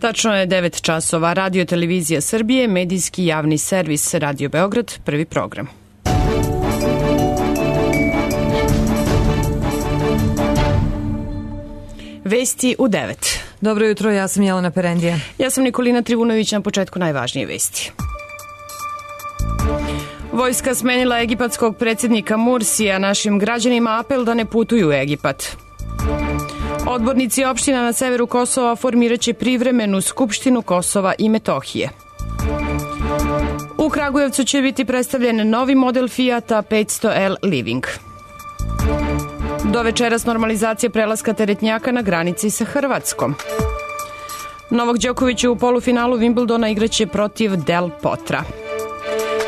Tačno je 9 časova. Radio Televizija Srbije, medijski javni servis Radio Beograd, prvi program. Vesti u 9. Dobro jutro, ja sam Jelena Perendija. Ja sam Nikolina Trivunović, na početku najvažnije vesti. Vojska smenila egipatskog predsjednika Mursija, našim građanima apel da ne putuju u Egipat. Odbornici opština na severu Kosova formiraće privremenu skupštinu Kosova i Metohije. U Kragujevcu će biti predstavljen novi model Fijata 500L Living. Do večeras normalizacija prelaska teretnjaka na granici sa Hrvatskom. Novak Đoković u polufinalu Wimbledona igraće protiv Del Potra.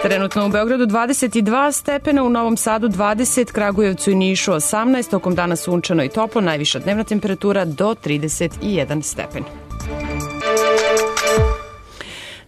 Trenutno u Beogradu 22 stepena, u Novom Sadu 20, Kragujevcu i Nišu 18, tokom dana sunčano i toplo, najviša dnevna temperatura do 31 stepen.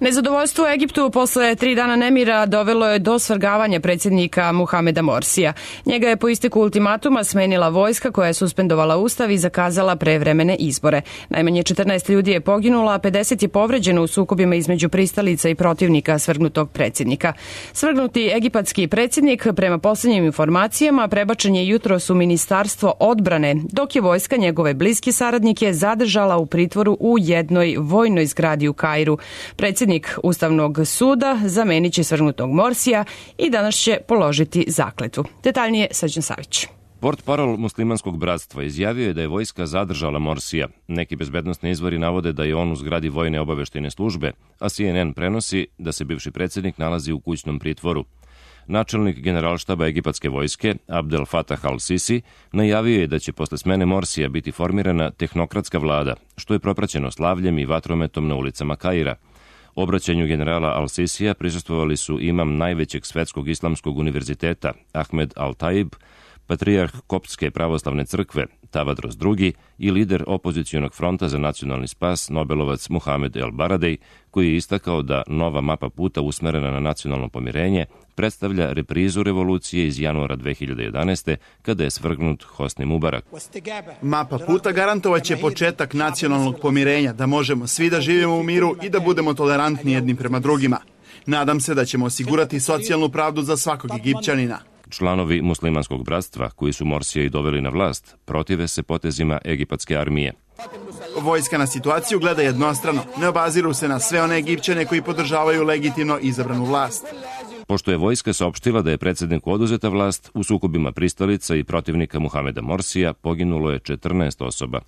Nezadovoljstvo u Egiptu posle 3 dana nemira dovelo je do svrgavanja predsjednika Muhameda Morsija. Njega je po isteku ultimatuma smenila vojska koja je suspendovala ustav i zakazala prevremene izbore. Najmanje 14 ljudi je poginulo, a 50 je povređeno u sukobima između pristalica i protivnika svrgnutog predsjednika. Svrgnuti egipatski predsjednik, prema posljednjim informacijama, prebačen je jutros u Ministarstvo odbrane, dok je vojska njegove bliske saradnike zadržala u pritvoru u jednoj vojnoj zgradi u Kairu. Predsjednik Ustavnog suda zamenit će svrgnutog Morsija i danas će položiti zakletvu. Detaljnije Srđan Savić. Portparol muslimanskog bratstva izjavio je da je vojska zadržala Morsija. Neki bezbednosni izvori navode da je on u zgradi vojne obaveštajne službe, a CNN prenosi da se bivši predsjednik nalazi u kućnom pritvoru. Načelnik generalštaba egipatske vojske, Abdel Fattah al-Sisi, najavio je da će posle smene Morsija biti formirana tehnokratska vlada, što je propraćeno slavljem i vatrometom na ulicama Kaira. Obraćanju generala al-Sisija prisustvovali su imam najvećeg svetskog islamskog univerziteta Ahmed al-Taib, patrijarh Koptske pravoslavne crkve Tavadros II i lider opozicionog fronta za nacionalni spas Nobelovac Muhamed El Baradej, koji je istakao da nova mapa puta usmerena na nacionalno pomirenje predstavlja reprizu revolucije iz januara 2011. kada je svrgnut Hosni Mubarak. Mapa puta garantovaće početak nacionalnog pomirenja, da možemo svi da živimo u miru i da budemo tolerantni jedni prema drugima. Nadam se da ćemo osigurati socijalnu pravdu za svakog Egipćanina. Članovi muslimanskog bratstva, koji su Morsija i doveli na vlast, protive se potezima egipatske armije. Vojska na situaciju gleda jednostrano, ne obaziru se na sve one Egipćane koji podržavaju legitimno izabranu vlast. Pošto je vojska saopštila da je predsjedniku oduzeta vlast, u sukobima pristalica i protivnika Muhameda Morsija poginulo je 14 osoba.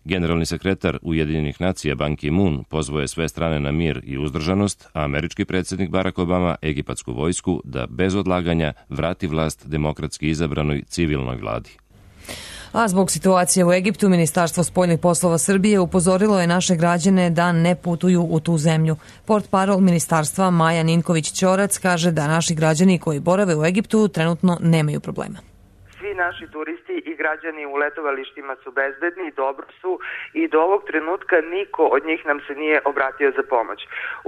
Generalni sekretar Ujedinjenih nacija Ban Ki-moon pozvao je sve strane na mir i uzdržanost, a američki predsjednik Barack Obama egipatsku vojsku da bez odlaganja vrati vlast demokratski izabranoj civilnoj vladi. A zbog situacije u Egiptu, Ministarstvo spoljnih poslova Srbije upozorilo je naše građane da ne putuju u tu zemlju. Portparol ministarstva Maja Ninković-Ćorac kaže da naši građani koji borave u Egiptu trenutno nemaju problema. Svi naši turisti i građani u letovalištima su bezbedni, dobro su i do ovog trenutka niko od njih nam se nije obratio za pomoć.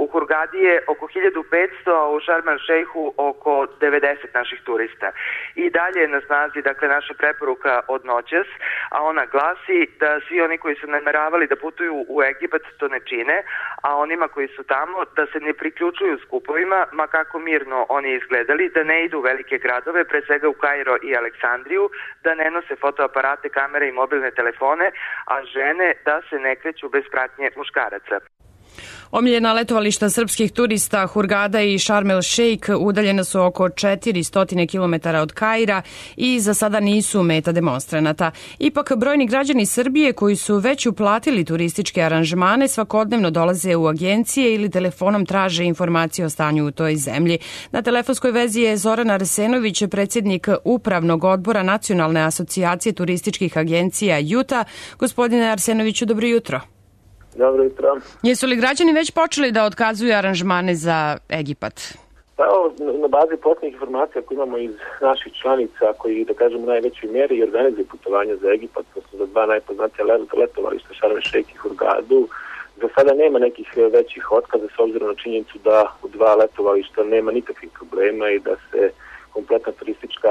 U Hurgadi je oko 1500, a u Šarm el Šejhu oko 90 naših turista. I dalje je na snazi, dakle, naša preporuka od noćas, a ona glasi da svi oni koji su nameravali da putuju u Egipat to ne čine, a onima koji su tamo da se ne priključuju skupovima, ma kako mirno oni izgledali, da ne idu u velike gradove, pre svega u Kairo i Aleksandriju, da ne nose fotoaparate, kamere i mobilne telefone, a žene da se ne kreću bez pratnje muškaraca. Omiljena letovališta srpskih turista Hurgada i Šarm el Šejk udaljena su oko 400 km od Kaira i za sada nisu meta demonstranata. Ipak brojni građani Srbije koji su već uplatili turističke aranžmane svakodnevno dolaze u agencije ili telefonom traže informacije o stanju u toj zemlji. Na telefonskoj vezi je Zoran Arsenović, predsjednik Upravnog odbora Nacionalne asocijacije turističkih agencija JUTA. Gospodine Arsenoviću, dobro jutro. Dobro jutro. Jesu li građani već počeli da otkazuju aranžmane za Egipat? Pa na bazi posljednjih informacija koje imamo iz naših članica koji, da kažemo, u najvećoj mjeri organizuju putovanja za Egipat, to su za dva najpoznatija letovališta Šarm el Šejk i Hurgadu. Za sada nema nekih većih otkaza s obzirom na činjenicu da u dva letovališta nema nikakvih problema i da se kompletna turistička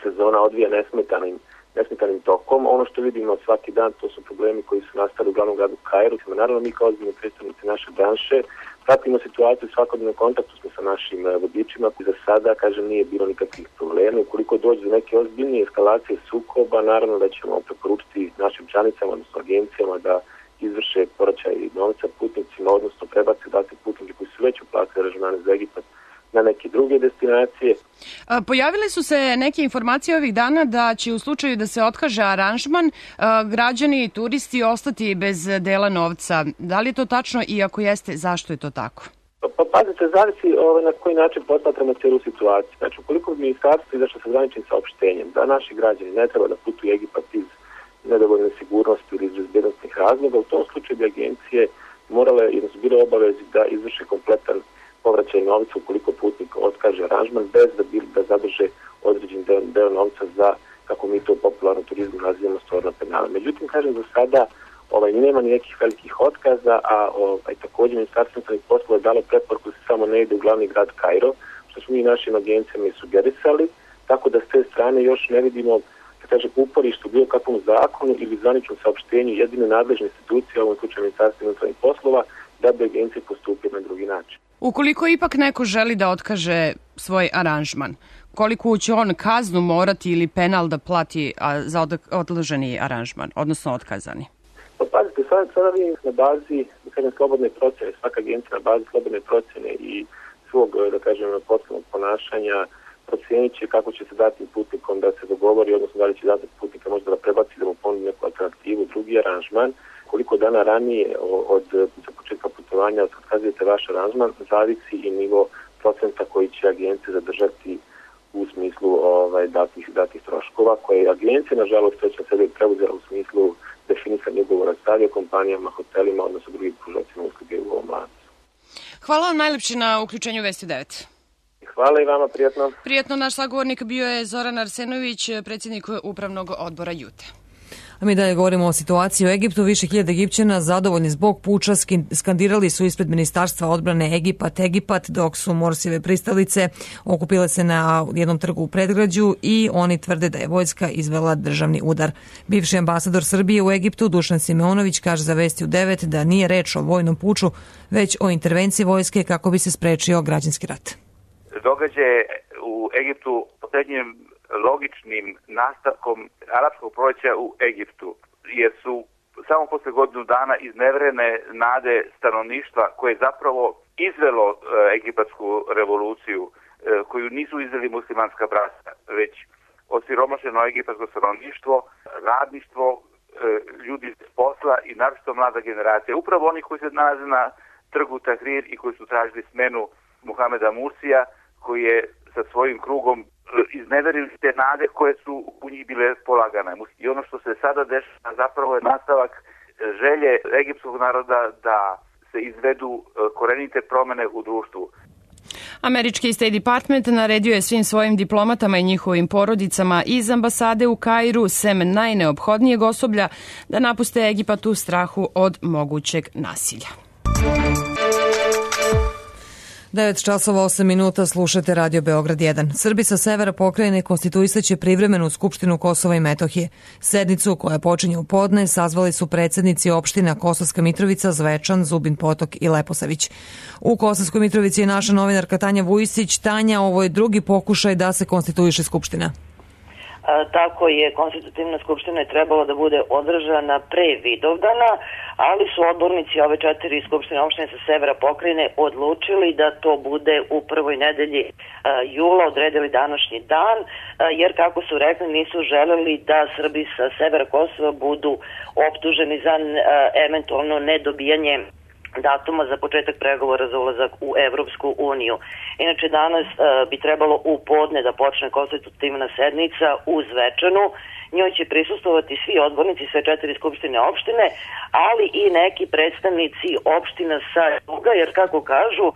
sezona odvija nesmetanim nesmetanim tokom. Ono što vidimo svaki dan, to su problemi koji su nastali u glavnom gradu Kairu. Naravno, mi kao ozbiljni predstavnici naše branše pratimo situaciju, svakodnevnom kontaktu smo sa našim vodičima. Za sada, kažem, nije bilo nikakvih problema. Ukoliko dođe do neke ozbiljnije eskalacije sukoba, naravno da ćemo preporučiti našim članicama, odnosno agencijama da izvrše povraćaj novca putnicima, odnosno prebace putnike koji su već uplatili aranžmane za Egipat na neke druge destinacije. Pojavile su se neke informacije ovih dana da će u slučaju da se otkaže aranžman građani i turisti ostati bez dela novca. Da li je to tačno i ako jeste, zašto je to tako? Pa pazite, zavisi na koji način posmatramo cijelu situaciju. Znači, ukoliko bi ministarstvo izašlo sa graničnim saopštenjem da naši građani ne treba da putuju Egipat iz nedovoljne sigurnosti ili iz bezbednostnih razloga, u tom slučaju bi agencije morale, jednostavno bile obavezi da izvrše kompletan povraćaj novca ukoliko putnik otkaže aranžman bez da zadrže određen deo novca za, kako mi to u popularnom turizmu nazivamo, stvorna penala. Međutim, kažem, za sada nema ni nekih velikih otkaza, a također Ministarstvo unutrašnjih poslova je dalo preporuku da se samo ne ide u glavni grad Kairo, što smo mi našim agencijama i sugerisali, tako da s te strane još ne vidimo uporište u bilo kakvom zakonu ili zvaničnom saopštenju jedine nadležne institucije, u ovom slučaju Ministarstvo unutrašnjih poslova, da bi agencije postupile na drugi način. Ukoliko ipak neko želi da otkaže svoj aranžman, koliko će on kaznu morati ili penal da plati za odloženi aranžman, odnosno otkazani? Pa pazite, sada vi na bazi, slobodne procjene, svaka agencija na bazi slobodne procjene i svog, poslovnog ponašanja procijenit će kako će se dati putnikom da se dogovori, odnosno da li će dati putnika možda da prebaci, da mu ponudi neku alternativu, drugi aranžman. Koliko dana ranije od početka putovanja otkazujete vaš aranžman, zavisi i nivo procenta koji će agencije zadržati u smislu datih troškova, koje agencije, nažalost, već na sebe preuzela u smislu definisanja ugovora s aviokompanijama, hotelima, odnosno drugim pružaocima usluge u ovom lancu. Hvala vam najlepše na uključenju Vesti 9. Hvala i vama, prijatno. Prijatno, naš sagovornik bio je Zoran Arsenović, predsjednik Upravnog odbora Jute. A mi dalje govorimo o situaciji u Egiptu. Više hiljada Egipćana zadovoljni zbog puča skandirali su ispred Ministarstva odbrane Egipat, dok su Morsijeve pristalice okupile se na jednom trgu u predgrađu i oni tvrde da je vojska izvela državni udar. Bivši ambasador Srbije u Egiptu Dušan Simeonović kaže za Vesti u 9 da nije reč o vojnom puču, već o intervenciji vojske kako bi se sprečio građanski rat. Događaje u Egiptu posljednjim logičnim nastavkom arapskog proljeća u Egiptu, jer su samo posle godinu dana izneverene nade stanovništva koje je zapravo izvelo egipatsku revoluciju, koju nisu izveli muslimanska bratstva, već osiromašeno egipatsko stanovništvo, radništvo, ljudi iz posla i naročito mlada generacija. Upravo oni koji se nalaze na trgu Tahrir i koji su tražili smenu Muhameda Mursija, koji je sa svojim krugom izneverili te nade koje su u njih bile polagane. I ono što se sada dešava zapravo je nastavak želje egiptskog naroda da se izvedu korenite promene u društvu. Američki State Department naredio je svim svojim diplomatama i njihovim porodicama iz ambasade u Kairu, sem najneophodnijeg osoblja, da napuste Egipat u strahu od mogućeg nasilja. 9:08 slušate Radio Beograd 1. Srbi sa severa pokrajine konstituisaće privremenu Skupštinu Kosova i Metohije. Sednicu koja počinje u podne sazvali su predsjednici opština Kosovska Mitrovica, Zvečan, Zubin Potok i Leposavić. U Kosovskoj Mitrovici je naša novinarka Tanja Vujisić. Tanja, ovo je drugi pokušaj da se konstituiše Skupština. Tako je, konstitutivna skupština je trebala da bude održana pre Vidovdana, ali su odbornici ove 4 skupštine opštine sa severa pokrajine odlučili da to bude u prvoj nedelji jula, odredili današnji dan, jer kako su rekli nisu želeli da Srbi sa severa Kosova budu optuženi za eventualno nedobijanje datuma za početak pregovora za ulazak u Evropsku uniju. Inače, danas bi trebalo u podne da počne konstitutivna sednica u Zvečanu. Njoj će prisustvovati svi odbornici, sve 4 skupštine opštine, ali i neki predstavnici opština sa juga, jer kako kažu,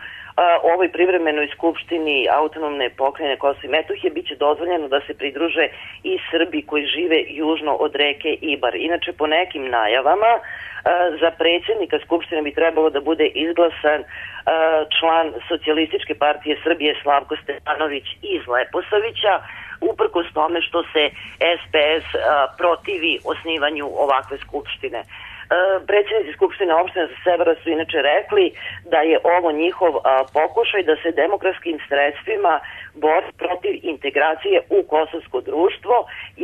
ovoj privremenoj skupštini autonomne pokrajine Kosova i Metohije biće dozvoljeno da se pridruže i Srbi koji žive južno od reke Ibar. Inače, po nekim najavama, za predsjednika Skupštine bi trebalo da bude izglasan član Socijalističke partije Srbije Slavko Stefanović iz Leposavića. uprkos tome što se SPS protivi osnivanju ovakve skupštine. Predsjednici Skupštine opštine sa severa su inače rekli da je ovo njihov pokušaj da se demokratskim sredstvima bori protiv integracije u kosovsko društvo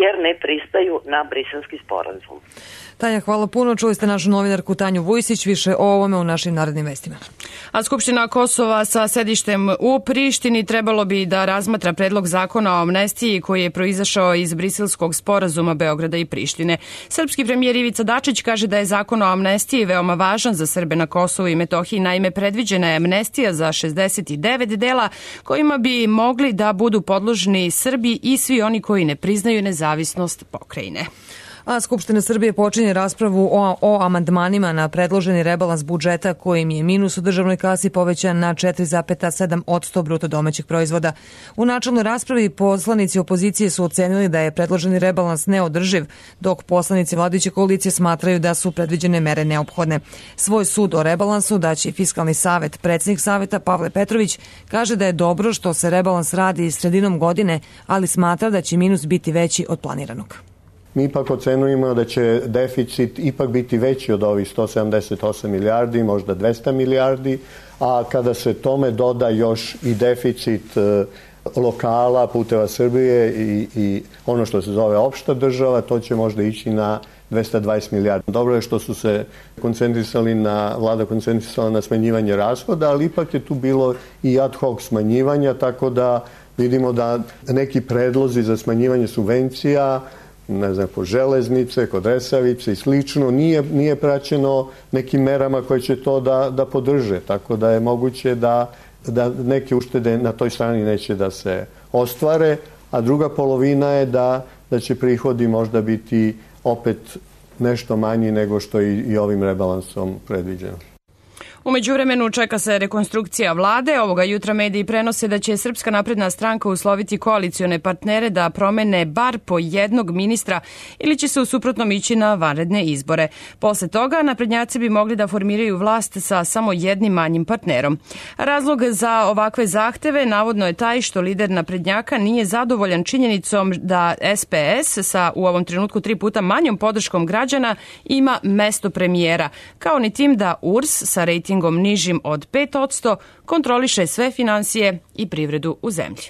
jer ne pristaju na Briselski sporazum. Tanja, hvala puno. Čuli ste našu novinarku Tanju Vujsić. Više o ovome u našim narednim vestima. A Skupština Kosova sa sedištem u Prištini trebalo bi da razmatra predlog zakona o amnestiji koji je proizašao iz Briselskog sporazuma Beograda i Prištine. Srpski premijer Ivica Dačić kaže da je zakon o amnestiji veoma važan za Srbe na Kosovu i Metohiji. Naime, predviđena je amnestija za 69 dela kojima bi mogli da budu podložni Srbi i svi oni koji ne priznaju nezavisnost pokrajine. A Skupština Srbije počinje raspravu o amandmanima na predloženi rebalans budžeta kojim je minus u državnoj kasi povećan na 4,7% bruto domaćeg proizvoda. U načelnoj raspravi poslanici opozicije su ocenili da je predloženi rebalans neodrživ, dok poslanici vladajuće koalicije smatraju da su predviđene mere neophodne. Svoj sud o rebalansu daće Fiskalni savet. Predsjednik saveta Pavle Petrović kaže da je dobro što se rebalans radi sredinom godine, ali smatra da će minus biti veći od planiranog. Mi ipak ocenujemo da će deficit ipak biti veći od ovih 178 milijardi, možda 200 milijardi, a kada se tome doda još i deficit lokala, Puteva Srbije i ono što se zove opšta država, to će možda ići na 220 milijardi. Dobro je što su se vlada koncentrisala na smanjivanje rashoda, ali ipak je tu bilo i ad hoc smanjivanja, tako da vidimo da neki predlozi za smanjivanje subvencija, ne znam, po železnice, kod Resavice i slično, nije praćeno nekim merama koje će to da podrže. Tako da je moguće da neke uštede na toj strani neće da se ostvare, a druga polovina je da će prihodi možda biti opet nešto manji nego što je i ovim rebalansom predviđeno. U međuvremenu čeka se rekonstrukcija vlade. Ovoga jutra mediji prenose da će Srpska napredna stranka usloviti koalicione partnere da promene bar po jednog ministra ili će se u suprotnom ići na vanredne izbore. Posle toga naprednjaci bi mogli da formiraju vlast sa samo jednim manjim partnerom. Razlog za ovakve zahteve navodno je taj što lider naprednjaka nije zadovoljan činjenicom da SPS sa u ovom trenutku 3 puta manjom podrškom građana ima mesto premijera, kao ni tim da URS sa rejtingom nižim od 5% kontroliše sve finansije i privredu u zemlji.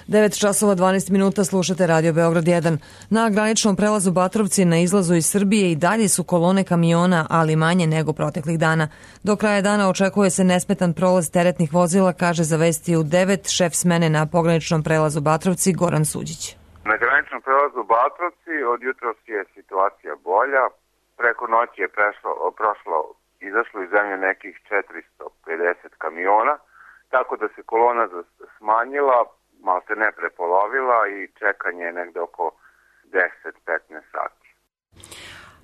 9 časova 12 minuta, slušate Radio Beograd 1. Na graničnom prelazu Batrovci na izlazu iz Srbije i dalje su kolone kamiona, ali manje nego proteklih dana. Do kraja dana očekuje se nesmetan prolaz teretnih vozila, kaže za Vesti u 9 šef smene na pograničnom prelazu Batrovci Goran Suđić. Na graničnom prelazu Batrovci od jutros je situacija bolja. Preko noći je izašlo iz zemlje nekih 450 kamiona, tako da se kolona smanjila, malo se ne prepolovila i čekanje je negde oko 10-15 sati.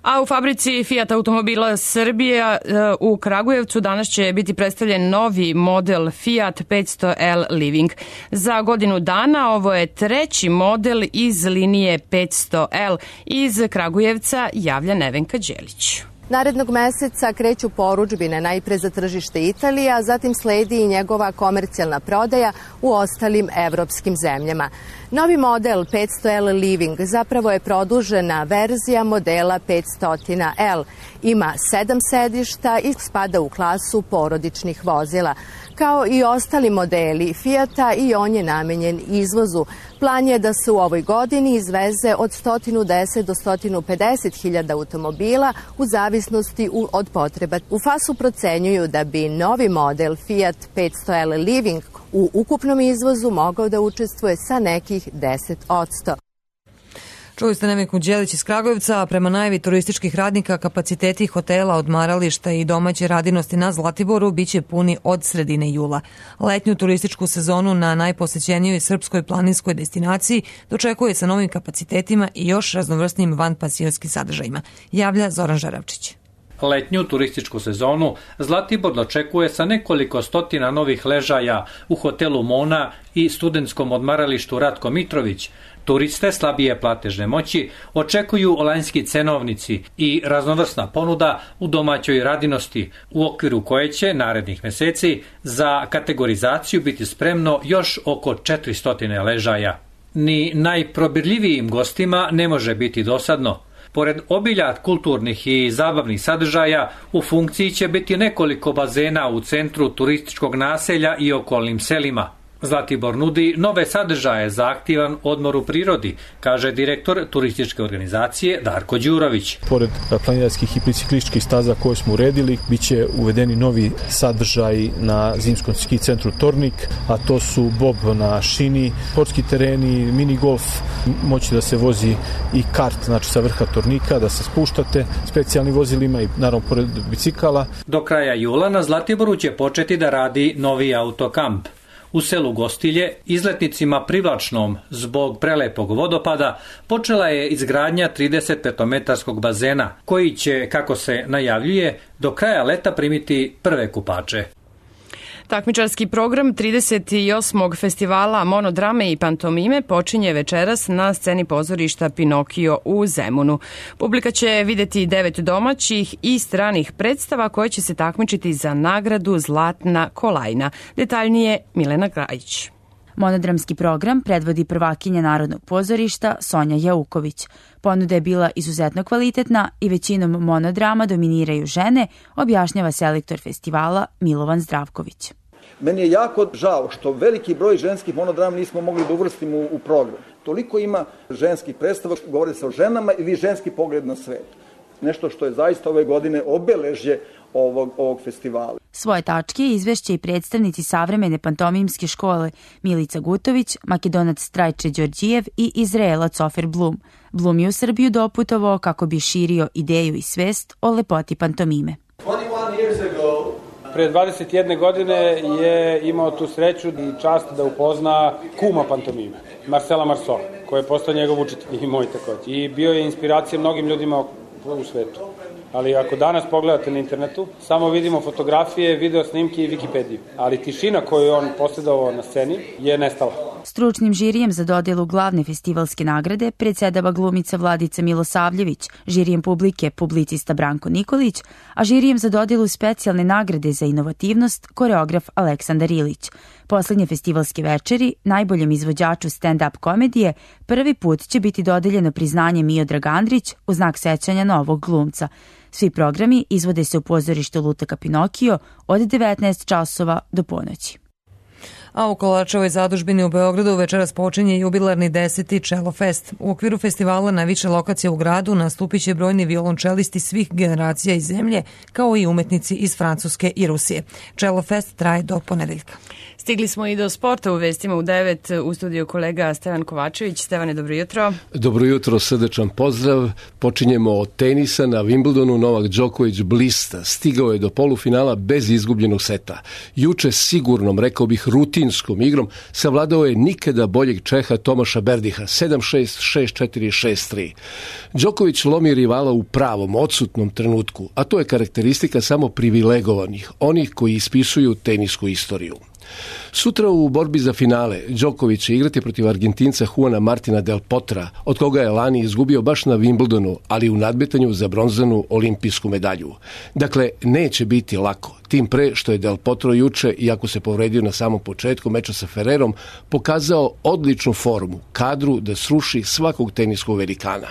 A u fabrici Fiat automobila Srbija u Kragujevcu danas će biti predstavljen novi model Fiat 500L Living. Za godinu dana ovo je 3. model iz linije 500L. Iz Kragujevca javlja Nevenka Đelić. Narednog meseca kreću porudžbine najpre za tržište Italije, a zatim sledi i njegova komercijalna prodaja u ostalim evropskim zemljama. Novi model 500L Living zapravo je produžena verzija modela 500L. Ima 7 sedišta i spada u klasu porodičnih vozila. Kao i ostali modeli Fijata, i on je namenjen izvozu. Plan je da se u ovoj godini izveze od 110 do 150 hiljada automobila u zavisnosti od potreba. U FAS-u procenjuju da bi novi model Fiat 500L Living u ukupnom izvozu mogao da učestvuje sa nekih 10%. Čuli ste Nevenku Đelić iz Kragujevca, a prema najavi turističkih radnika kapaciteti hotela, odmarališta i domaće radinosti na Zlatiboru biće puni od sredine jula. Letnju turističku sezonu na najposećenijoj srpskoj planinskoj destinaciji dočekuje sa novim kapacitetima i još raznovrsnim vanpansionskim sadržajima, javlja Zoran Žaravčić. Letnju turističku sezonu Zlatibor dočekuje sa nekoliko stotina novih ležaja u hotelu Mona i studentskom odmaralištu Ratko Mitrović. Turiste slabije platežne moći očekuju olanjski cenovnici i raznovrsna ponuda u domaćoj radinosti, u okviru koje će narednih meseci za kategorizaciju biti spremno još oko 400 ležaja. Ni najprobirljivijim gostima ne može biti dosadno. Pored obilja kulturnih i zabavnih sadržaja, u funkciji će biti nekoliko bazena u centru turističkog naselja i okolnim selima. Zlatibor nudi nove sadržaje za aktivan odmor u prirodi, kaže direktor turističke organizacije Darko Đurović. Pored planinarskih i biciklističkih staza koje smo uredili, bit će uvedeni novi sadržaj na zimskom ski centru Tornik, a to su bob na šini, sportski tereni, mini golf, moći da se vozi i kart, znači sa vrha Tornika, da se spuštate specijalnim vozilima i naravno pored bicikala. Do kraja jula na Zlatiboru će početi da radi novi autokamp. U selu Gostilje, izletnicima privlačnom zbog prelepog vodopada, počela je izgradnja 35-metarskog bazena, koji će, kako se najavljuje, do kraja leta primiti prve kupače. Takmičarski program 38. festivala monodrame i pantomime počinje večeras na sceni pozorišta Pinokio u Zemunu. Publika će videti 9 domaćih i stranih predstava koje će se takmičiti za nagradu Zlatna kolajna. Detaljnije Milena Grajić. Monodramski program predvodi prvakinja Narodnog pozorišta Sonja Jauković. Ponuda je bila izuzetno kvalitetna i većinom monodrama dominiraju žene, objašnjava selektor festivala Milovan Zdravković. Meni je jako žao što veliki broj ženskih monodrama nismo mogli da uvrstimo u program. Toliko ima ženskih predstava, govori se o ženama ili ženski pogled na svet. Nešto što je zaista ove godine obeležje ovog festivala. Svoje tačke izvešće i predstavnici savremene pantomimske škole Milica Gutović, Makedonac Strajče Đorđijev i Izraelac Ofer Blum. Blum je u Srbiju doputovao kako bi širio ideju i svest o lepoti pantomime. Pre 21 godine je imao tu sreću i čast da upozna kuma pantomime, Marcela Marceau, koji je postao njegov učitelj i moj takođe. I bio je inspiracija mnogim ljudima u svetu. Ali ako danas pogledate na internetu, samo vidimo fotografije, video snimke i Wikipediju. Ali tišina koju on posjedovao na sceni je nestala. Stručnim žirijem za dodelu glavne festivalske nagrade predsedava glumica Vladica Milosavljević, žirijem publike publicista Branko Nikolić, a žirijem za dodelu specijalne nagrade za inovativnost koreograf Aleksandar Ilić. Poslednje festivalske večeri najboljem izvođaču stand-up komedije prvi put će biti dodeljeno priznanje Miodrag Andrić u znak sećanja na ovog glumca. Svi programi izvode se u pozorištu Lutaka Pinokio od 19 časova do ponoći. A u Kolačevoj zadužbini u Beogradu večeras počinje jubilarni 10. Čelo Fest. U okviru festivala na više lokacija u gradu nastupit će brojni violončelisti svih generacija iz zemlje, kao i umetnici iz Francuske i Rusije. Čelo Fest traje do ponedeljka. Stigli smo i do sporta u vestima u 9 u studiju kolega Stevan Kovačević. Stevane, dobro jutro. Dobro jutro, srdečan pozdrav. Počinjemo od tenisa. Na Wimbledonu Novak Đoković blista. Stigao je do polufinala bez izgubljenog seta. Juče sigurnom, rekao bih rutinskom igrom, savladao je nikada boljeg Čeha Tomaša Berdiha 7-6, 6-4, 6-3. Đoković lomi rivala u pravom, odsutnom trenutku, a to je karakteristika samo privilegovanih, onih koji ispisuju tenisku istoriju. Sutra u borbi za finale Đoković će igrati protiv Argentinca Juana Martina Del Potra, od koga je lani izgubio baš na Wimbledonu, ali u nadmetanju za bronzanu olimpijsku medalju. Dakle, neće biti lako, tim pre što je Del Potro juče, iako se povredio na samom početku meča sa Ferrerom, pokazao odličnu formu, kadru da sruši svakog teniskog velikana.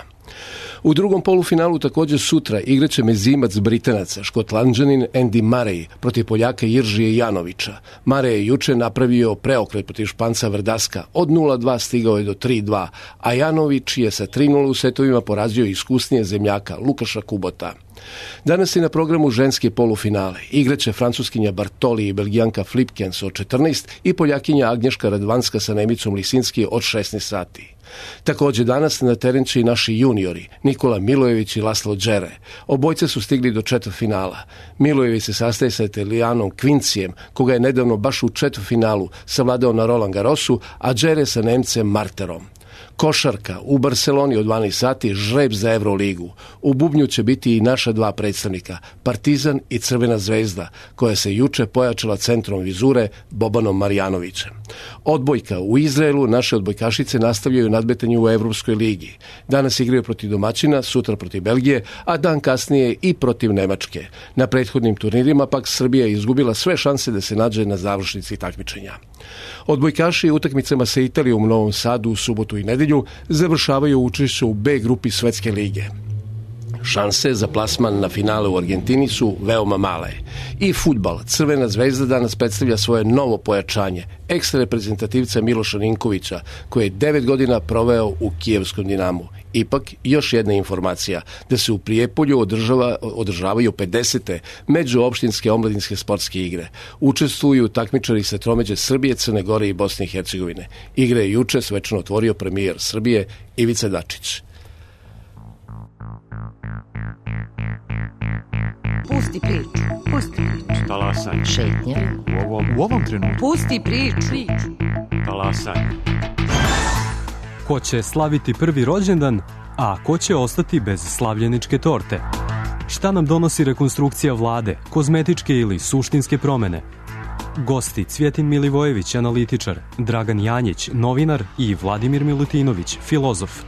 U drugom polufinalu također sutra igraće mezimac Britanaca, Škotlanđanin Andy Murray protiv Poljaka Jiržije Janovića. Murray je juče napravio preokret protiv Španca Vrdaska, od 0-2 stigao je do 3-2, a Janović je sa 3-0 u setovima porazio iskusnije zemljaka Lukaša Kubota. Danas je na programu ženske polufinale. Igraće Francuskinja Bartoli i Belgijanka Flipkens od 14 i Poljakinja Agnješka Radvanska sa Nemicom Lisinski od 16 sati. Također danas na teren će i naši juniori, Nikola Milojević i Laslo Džere. Obojce su stigli do četvrtfinala. Milojević se sastaje sa Italijanom Kvincijem, koga je nedavno baš u četvrtfinalu savladao na Roland Garrosu, a Džere sa Nemcem Marterom. Košarka u Barceloni od 12 sati, žreb za Euroligu. U bubnju će biti i naša dva predstavnika, Partizan i Crvena zvezda, koja se juče pojačala centrom vizure Bobanom Marjanovićem. Odbojka u Izraelu, naše odbojkašice nastavljaju nadmetanje u Evropskoj ligi. Danas igraju protiv domaćina, sutra protiv Belgije, a dan kasnije i protiv Nemačke. Na prethodnim turnirima pak Srbija je izgubila sve šanse da se nađe na završnici takmičenja. Odbojkaši utakmicama sa Italijom u Novom Sadu u subotu i nedelju završavaju učešće u B grupi Svetske lige. Šanse za plasman na finale u Argentini su veoma male. I fudbal. Crvena zvezda danas predstavlja svoje novo pojačanje, ekstra reprezentativca Miloša Ninkovića, koji je 9 godina proveo u kijevskom Dinamu. Ipak, još jedna informacija, da se u Prijepolju održavaju 50. međuopštinske omladinske sportske igre. Učestvuju takmičari sa tromeđe Srbije, Crne Gore i Bosne i Hercegovine. Igre je juče svečano otvorio premijer Srbije Ivica Dačić. Pusti priču. Pusti priču. Talasaj. Šetnja. U ovom trenutku. Pusti priču. Talasaj. Ko će slaviti prvi rođendan, a ko će ostati bez slavljeničke torte? Šta nam donosi rekonstrukcija vlade, kozmetičke ili suštinske promene? Gosti Cvjetin Milivojević, analitičar, Dragan Janjić, novinar i Vladimir Milutinović, filozof.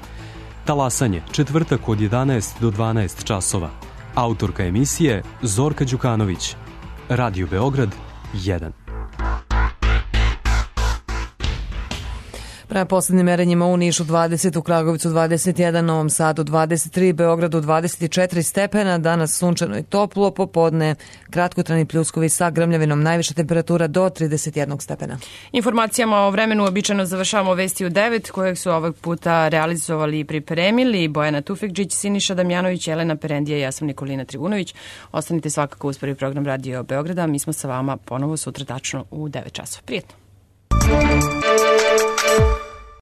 Talasanje, četvrtak od 11 do 12 časova. Autorka emisije Zorka Đukanović. Radio Beograd 1. Prema poslednjim merenjima u Nišu 20, u Kragovicu 21, Novom Sadu 23, Beogradu 24 stepena, danas sunčano i toplo, popodne kratkotrajni pljuskovi sa grmljavinom, najviša temperatura do 31 stepena. Informacijama o vremenu običajno završavamo vesti u 9, kojeg su ovog puta realizovali i pripremili Bojana Tufikđić, Siniša Damjanović, Elena Perendija i ja sam Nikolina Trivunović. Ostanite svakako uz prvi program Radio Beograda, mi smo sa vama ponovo sutra tačno u 9 časova. Prijetno!